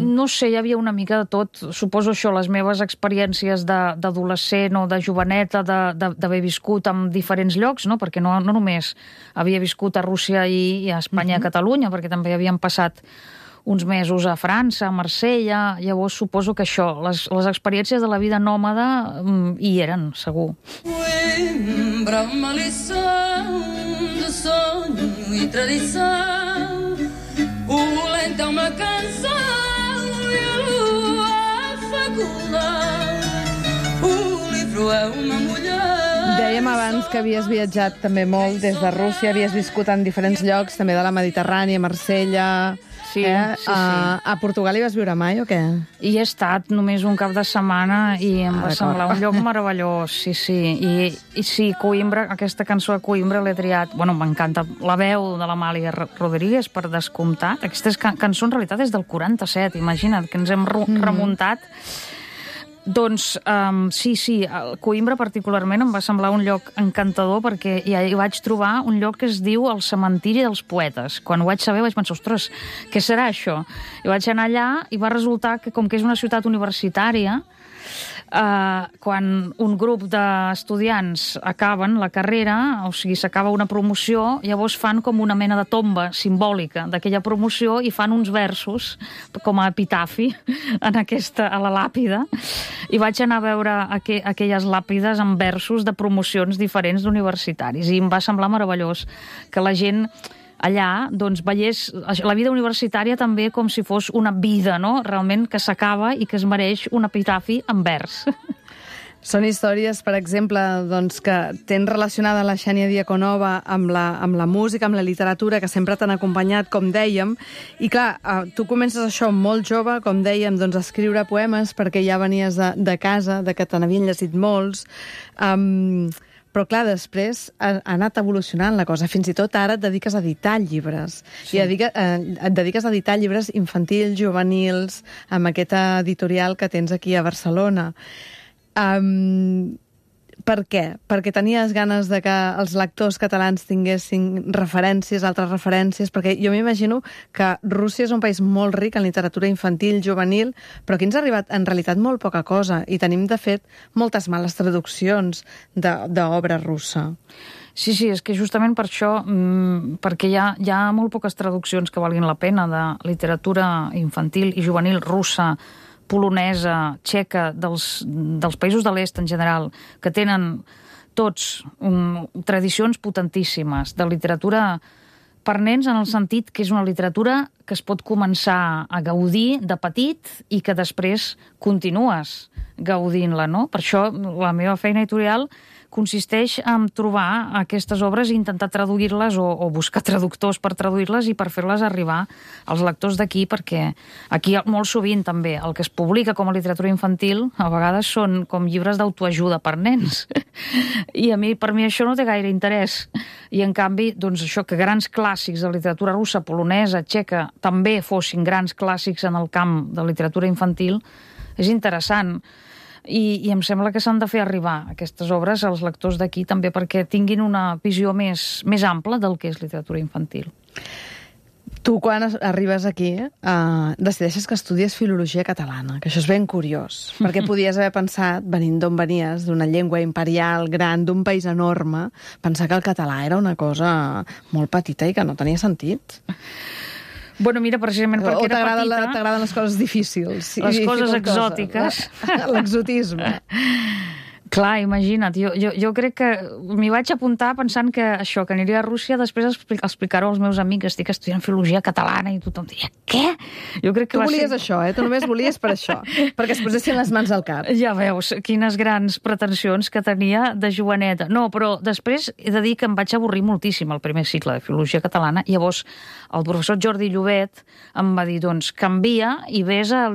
C: No sé, hi havia una mica de tot. Suposo això, les meves experiències d'adolescent o de joveneta, d'haver viscut en diferents llocs, no? Perquè no només havia viscut a Rússia i a Espanya i a Catalunya, perquè també havien passat uns mesos a França, a Marsella. Llavors suposo que això, les experiències de la vida nòmada hi eren, segur.
F: Coimbra, uma lição de sonho e tradição. O lento é uma canção e a lua a faculdade. O livro é uma mulher.
A: Dèiem abans que havies viatjat també molt des de Rússia, havies viscut en diferents llocs, també de la Mediterrània, Marsella...
C: Sí.
A: A Portugal hi vas viure mai o què?
C: Hi he estat només un cap de setmana i em va semblar un lloc meravellós, sí. I sí, Coimbra, aquesta cançó de Coimbra l'he triat... Bueno, m'encanta la veu de l'Amàlia Rodríguez, per descomptat. Aquesta cançó en realitat és del 47, imagina't, que ens hem remuntat. Doncs sí, Coimbra particularment em va semblar un lloc encantador perquè hi vaig trobar un lloc que es diu el cementiri dels poetes. Quan ho vaig saber vaig pensar, ostres, què serà això? I vaig anar allà i va resultar que com que és una ciutat universitària, quan un grup d'estudiants acaben la carrera, o sigui, s'acaba una promoció, llavors fan com una mena de tomba simbòlica d'aquella promoció i fan uns versos com a epitafi a la làpida. I vaig anar a veure aquelles làpides amb versos de promocions diferents d'universitaris i em va semblar meravellós que la gent allà doncs, veiés la vida universitària també com si fos una vida, no? Realment que s'acaba i que es mereix un epitafi en vers.
A: Són històries, per exemple, doncs, que tens relacionada la Xènia Diakonova amb la música, amb la literatura, que sempre t'han acompanyat, com dèiem. I clar, tu comences això molt jove, com dèiem, doncs, a escriure poemes perquè ja venies de casa, de que te n'havien llegit molts. Però, clar, després ha anat evolucionant la cosa. Fins i tot ara et dediques a editar llibres. Sí. I et dediques a editar llibres infantils, juvenils, amb aquesta editorial que tens aquí a Barcelona. Per què? Perquè tenies ganes de que els lectors catalans tinguessin referències, altres referències, perquè jo m'imagino que Rússia és un país molt ric en literatura infantil, juvenil, però aquí ens ha arribat en realitat molt poca cosa i tenim, de fet, moltes males traduccions d'obra russa.
C: Sí, és que justament per això, perquè hi ha molt poques traduccions que valguin la pena de literatura infantil i juvenil russa, polonesa, txeca, dels països de l'est en general, que tenen tots tradicions potentíssimes de literatura per nens en el sentit que és una literatura que es pot començar a gaudir de petit i que després continues gaudint-la, no? Per això la meva feina editorial consisteix en trobar aquestes obres i intentar traduir-les o buscar traductors per traduir-les i per fer-les arribar als lectors d'aquí, perquè aquí molt sovint també el que es publica com a literatura infantil a vegades són com llibres d'autoajuda per nens. I per mi això no té gaire interès. I en canvi, doncs això, que grans clàssics de literatura russa, polonesa, txeca, també fossin grans clàssics en el camp de literatura infantil, és interessant. I em sembla que s'han de fer arribar aquestes obres als lectors d'aquí també perquè tinguin una visió més ampla del que és literatura infantil.
A: Tu, quan arribes aquí, decideixes que estudies filologia catalana, que això és ben curiós, perquè podies haver pensat, venint d'on venies, d'una llengua imperial gran, d'un país enorme, pensar que el català era una cosa molt petita i que no tenia sentit.
C: Bueno, mira, precisament perquè era petita...
A: O t'agraden les coses difícils?
C: Les coses exòtiques.
A: L'exotisme.
C: Clar, imagina't, jo crec que m'hi vaig apuntar pensant que això, que aniria a Rússia, després explicar-ho als meus amics, estic estudiant filologia catalana i tothom diria, què? Jo crec que
A: tu volies això, Tu només volies per això, perquè es posessin les mans al cap.
C: Ja veus, quines grans pretensions que tenia de joveneta. No, però després he de dir que em vaig avorrir moltíssim el primer cicle de filologia catalana, i llavors el professor Jordi Llobet em va dir, doncs, canvia i ves a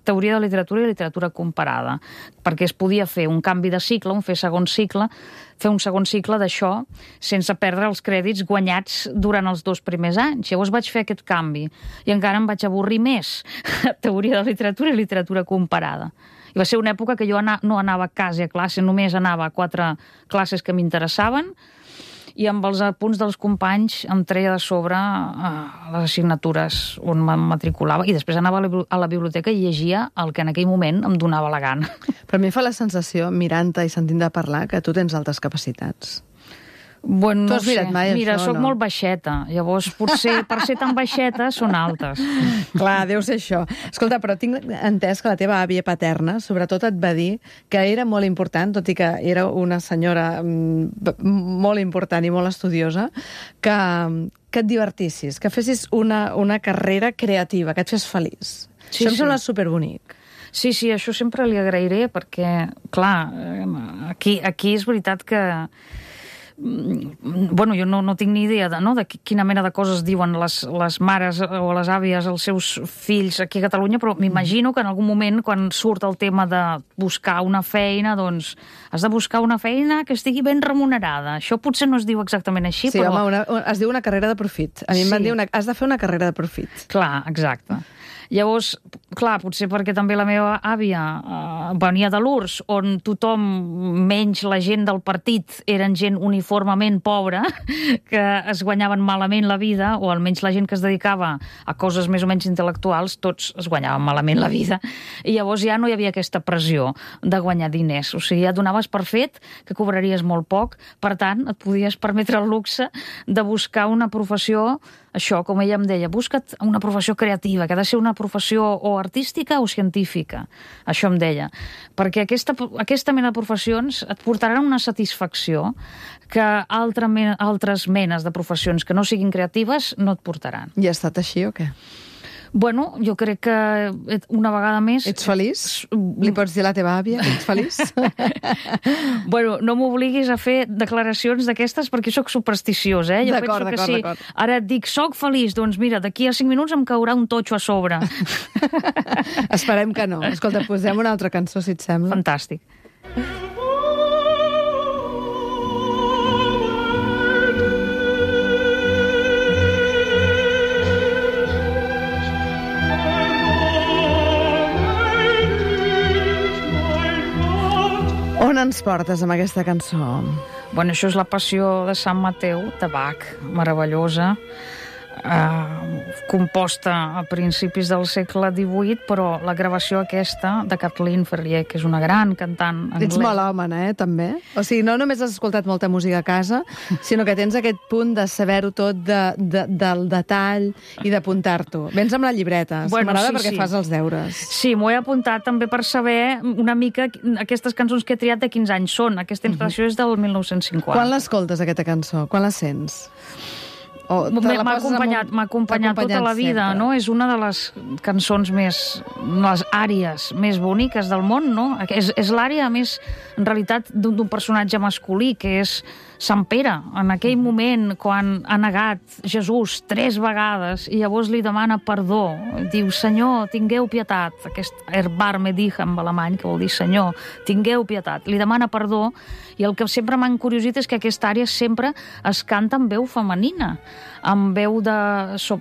C: teoria de literatura i literatura comparada, perquè es podia fer un canvi de cicle, fer un segon cicle d'això sense perdre els crèdits guanyats durant els 2 primers anys. Llavors vaig fer aquest canvi i encara em vaig avorrir més. Teoria de literatura i literatura comparada. I va ser una època que jo no anava quasi a classe, només anava a 4 classes que m'interessaven, i amb els apunts dels companys em treia de sobre les assignatures on em matriculava, i després anava a la biblioteca i llegia el que en aquell moment em donava la gana.
A: Però a mi fa la sensació, mirant-te i sentint-te parlar, que tu tens altres capacitats.
C: Bueno, no sé.
A: Mira,
C: soc molt baixeta. Llavors, potser per ser tan baixeta són altes.
A: Clar, deu ser això. Escolta, però tinc entès que la teva àvia paterna, sobretot, et va dir que era molt important, tot i que era una senyora molt important i molt estudiosa, que et divertissis, que fessis una carrera creativa, que et fes feliç. Això em sembla superbonic.
C: Sí, això sempre li agrairé, perquè, clar, aquí és veritat que bueno, jo no tinc ni idea de quina mena de coses diuen les mares o les àvies als seus fills aquí a Catalunya, però m'imagino que en algun moment, quan surt el tema de buscar una feina, doncs has de buscar una feina que estigui ben remunerada. Això potser no es diu exactament així,
A: però...
C: Sí,
A: home, es diu una carrera de profit. A mi em van dir, has de fer una carrera de profit.
C: Clar, exacte. Llavors, clar, potser perquè també la meva àvia venia de l'URSS, on tothom, menys la gent del partit, eren gent uniformement pobra, que es guanyaven malament la vida, o almenys la gent que es dedicava a coses més o menys intel·lectuals, tots es guanyaven malament la vida. I llavors ja no hi havia aquesta pressió de guanyar diners. O sigui, ja donaves per fet que cobraries molt poc, per tant, et podies permetre el luxe de buscar una professió, això, com ella em deia, busca't una professió creativa, que ha de ser una professió o artística o científica. Això em deia. Perquè aquesta mena de professions et portaran una satisfacció que altres menes de professions que no siguin creatives no et portaran.
A: I ha estat així o què?
C: Bueno, jo crec que una vegada més...
A: Ets feliç? Li pots dir a la teva àvia que ets feliç?
C: Bueno, no m'obliguis a fer declaracions d'aquestes perquè sóc supersticiós, Jo penso que si ara et dic soc feliç, doncs mira, d'aquí a 5 minuts em caurà un totxo a sobre.
A: Esperem que no. Escolta, posem una altra cançó, si et sembla.
C: Fantàstic.
A: On ens portes amb aquesta cançó?
C: Bueno, això és la Passió de Sant Mateu, de Bach, meravellosa, composta a principis del segle XVIII, però la gravació aquesta de Kathleen Ferrier, que és una gran cantant anglesa.
A: Ets melòmana, també? O sigui, no només has escoltat molta música a casa, sinó que tens aquest punt de saber-ho tot, del detall i d'apuntar-t'ho. Vens amb la llibreta, m'agrada perquè fas els deures.
C: Sí, m'ho he apuntat també per saber una mica aquestes cançons que he triat de quins anys són. Aquesta interpretació és del 1950.
A: Quan l'escoltes, aquesta cançó? Quan la sents?
C: M'ha acompanyat tota la vida, no? És una de les cançons les àries més boniques del món, no? És l'ària més, en realitat, d'un personatge masculí, que és Sant Pere, en aquell moment, quan ha negat Jesús 3 vegades, i llavors li demana perdó. Diu, Senyor, tingueu pietat. Aquest erbarme dicha en alemany, que vol dir Senyor, tingueu pietat. Li demana perdó, i el que sempre m'ha encuriosit és que aquesta àrea sempre es canta amb veu femenina, amb veu de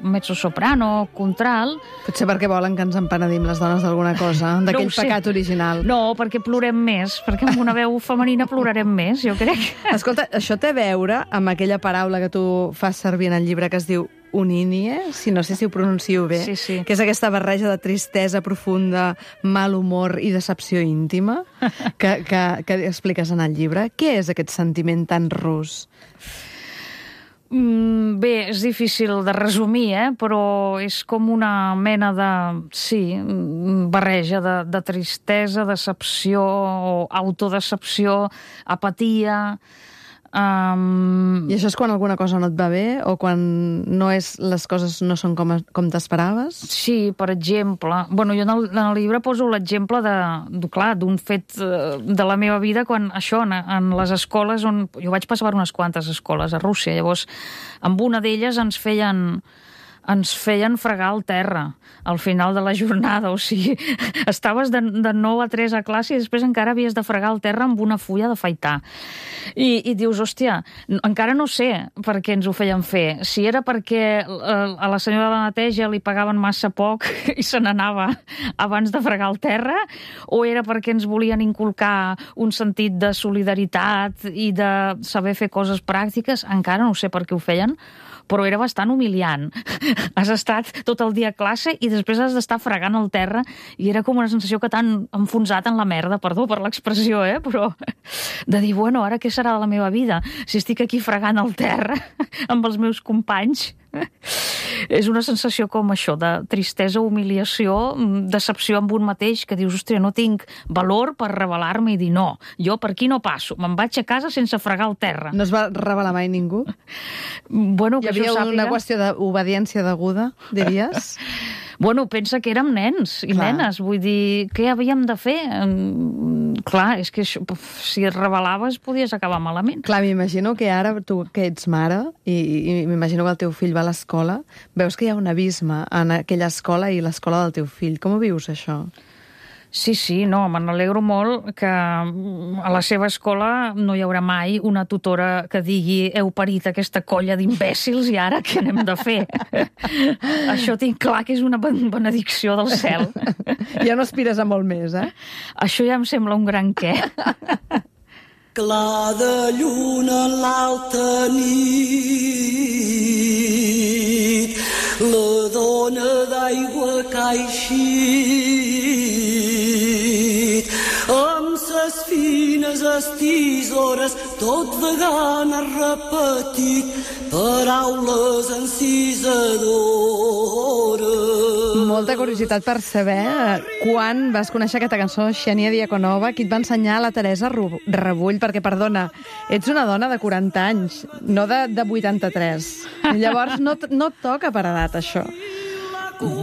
C: mezzosoprano, contralt.
A: Potser perquè volen que ens empenedim les dones d'alguna cosa, d'aquell pecat original.
C: No, perquè plorem més, perquè amb una veu femenina plorarem més, jo crec.
A: Escolta, això té a veure amb aquella paraula que tu fas servir en el llibre que es diu unínie, no sé si ho pronuncio bé,
C: sí.
A: Que és aquesta barreja de tristesa profunda, mal humor i decepció íntima que expliques en el llibre. Què és aquest sentiment tan rus?
C: Bé, és difícil de resumir, però és com una mena de, barreja de tristesa, decepció, autodecepció, apatia.
A: I això és quan alguna cosa no et va bé o quan les coses no són com t'esperaves?
C: Sí, per exemple. Bueno, jo en el llibre poso l'exemple d'un fet de la meva vida quan això, en les escoles, on jo vaig passar per unes quantes escoles a Rússia, llavors amb una d'elles ens feien fregar el terra al final de la jornada, o sigui, estaves de 9 a 3 a classe i després encara havies de fregar el terra amb una fulla d'afaitar. I dius, hòstia, encara no sé per què ens ho feien fer. Si era perquè a la senyora de la neteja li pagaven massa poc i se n'anava abans de fregar el terra, o era perquè ens volien inculcar un sentit de solidaritat i de saber fer coses pràctiques, encara no sé per què ho feien, però era bastant humiliant. Has estat tot el dia a classe i després has d'estar fregant el terra i era com una sensació que t'han enfonsat en la merda, perdó per l'expressió, però de dir, bueno, ara què serà de la meva vida si estic aquí fregant el terra amb els meus companys? És una sensació com això, de tristesa, humiliació, decepció amb un mateix, que dius, hòstia, no tinc valor per rebel·lar-me i dir no, jo per aquí no passo, me'n vaig a casa sense fregar el terra.
A: No es va rebel·lar mai ningú?
C: Bueno, que
A: hi havia una qüestió d'obediència deguda, diries?
C: Bueno, pensa que érem nens i nenes, vull dir, què havíem de fer? Clar, és que això, si et rebel·laves podies acabar malament.
A: Clar, m'imagino que ara tu que ets mare i m'imagino que el teu fill va a l'escola, veus que hi ha un abisme en aquella escola i l'escola del teu fill. Com ho vius, això?
C: Sí, no, me n'alegro molt que a la seva escola no hi haurà mai una tutora que digui heu parit aquesta colla d'imbècils i ara què n'hem de fer? Això tinc clar que és una benedicció del cel.
A: Ja no aspires a molt més,
C: Això ja em sembla un gran què.
F: Clar de lluna en l'alta nit, la dona d'aigua que ha eixit, amb ses fines estisores, tot vegant ha repetit paraules encisadores.
A: Molta curiositat per saber quan vas conèixer aquesta cançó, Xènia Diakonova, qui et va ensenyar la Teresa Rebull, perquè, perdona, ets una dona de 40 anys, no de 83. Llavors no et toca per edat, això.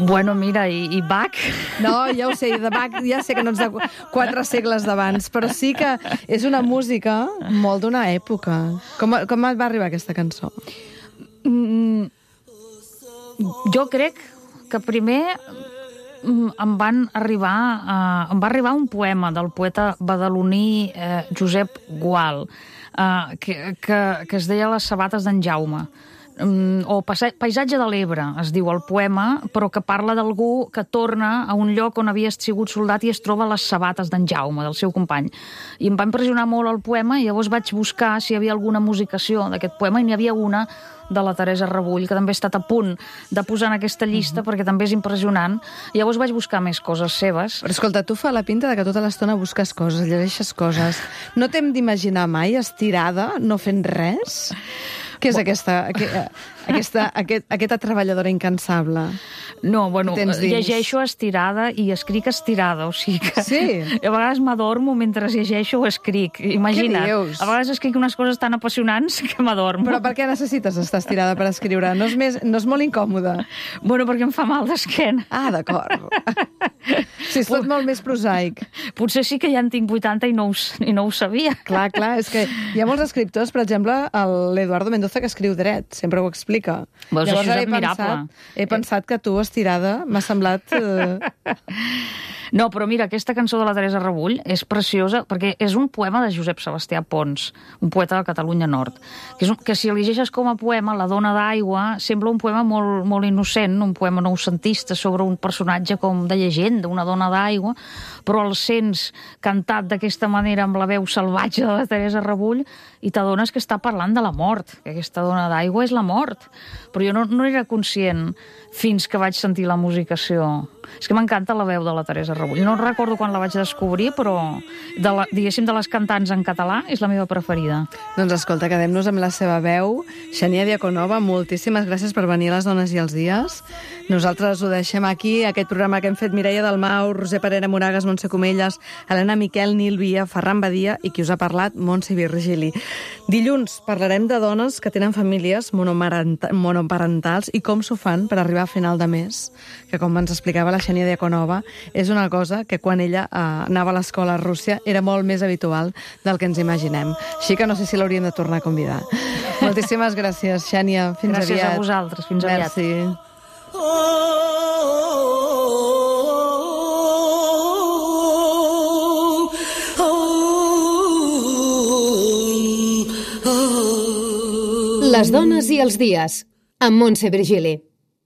C: Bueno, mira, i Bach?
A: No, ja ho sé, de Bach ja sé que no ets de 4 segles d'abans, però sí que és una música molt d'una època. Com et va arribar aquesta cançó?
C: Jo crec que primer em va arribar un poema del poeta badaloní Josep Gual, que es deia Les sabates d'en Jaume, o Paisatge de l'Ebre, es diu el poema, però que parla d'algú que torna a un lloc on havia sigut soldat i es troba a les sabates d'en Jaume, del seu company. I em va impressionar molt el poema i llavors vaig buscar si hi havia alguna musicació d'aquest poema i n'hi havia una de la Teresa Rebull, que també he estat a punt de posar en aquesta llista perquè també és impressionant. I llavors vaig buscar més coses seves.
A: Però escolta, tu fa la pinta de que tota l'estona busques coses, llegeixes coses. No t'hem d'imaginar mai estirada, no fent res? Què és aquesta treballadora incansable?
C: No, bueno, llegeixo estirada i escric estirada, o sigui que
A: sí.
C: A vegades m'adormo mentre llegeixo o escric. Imagina't,
A: què dius?
C: A vegades escric unes coses tan apassionants que m'adormo.
A: Però per què necessites estar estirada per escriure? No és molt incòmode?
C: Bueno, perquè em fa mal d'esquena.
A: Ah, d'acord. Sí, és tot molt més prosaic.
C: Potser sí que ja en tinc 80 i no ho sabia.
A: Clar, és que hi ha molts escriptors, per exemple, l'Eduardo Mendoza, que escriu dret, sempre ho explica.
C: Veus, llavors, això és admirable.
A: He pensat que tu, estirada, m'ha semblat...
C: No, però mira, aquesta cançó de la Teresa Rebull és preciosa perquè és un poema de Josep Sebastià Pons, un poeta de Catalunya Nord, que si el llegeixes com a poema, La dona d'aigua, sembla un poema molt, molt innocent, un poema noucentista sobre un personatge com de llegenda, una dona d'aigua, però el sents cantat d'aquesta manera amb la veu salvatge de la Teresa Rebull i t'adones que està parlant de la mort, que aquesta dona d'aigua és la mort. Però jo no era conscient fins que vaig sentir la musicació. És que m'encanta la veu de la Teresa Rebull. No recordo quan la vaig descobrir, però diguéssim de les cantants en català és la meva preferida.
A: Doncs escolta, quedem-nos amb la seva veu. Xènia Diaconova, moltíssimes gràcies per venir a Les dones i els dies. Nosaltres ho deixem aquí, aquest programa que hem fet Mireia Dalmau, Roser Parera Moragas, Montse Comelles, Helena Miquel, Nil Via, Ferran Badia i qui us ha parlat, Montse Virgili. Dilluns parlarem de dones que tenen famílies monoparentals i com s'ho fan per arribar a final de mes, que com ens explicava la Xènia Diaconova, és una cosa que quan ella anava a l'escola a Rússia era molt més habitual del que ens imaginem. Així que no sé si l'hauríem de tornar a convidar. Moltíssimes gràcies, Xènia. Fins aviat.
C: Gràcies a vosaltres. Fins aviat.
A: Merci.
G: Les dones i els dies, amb Montse Virgili.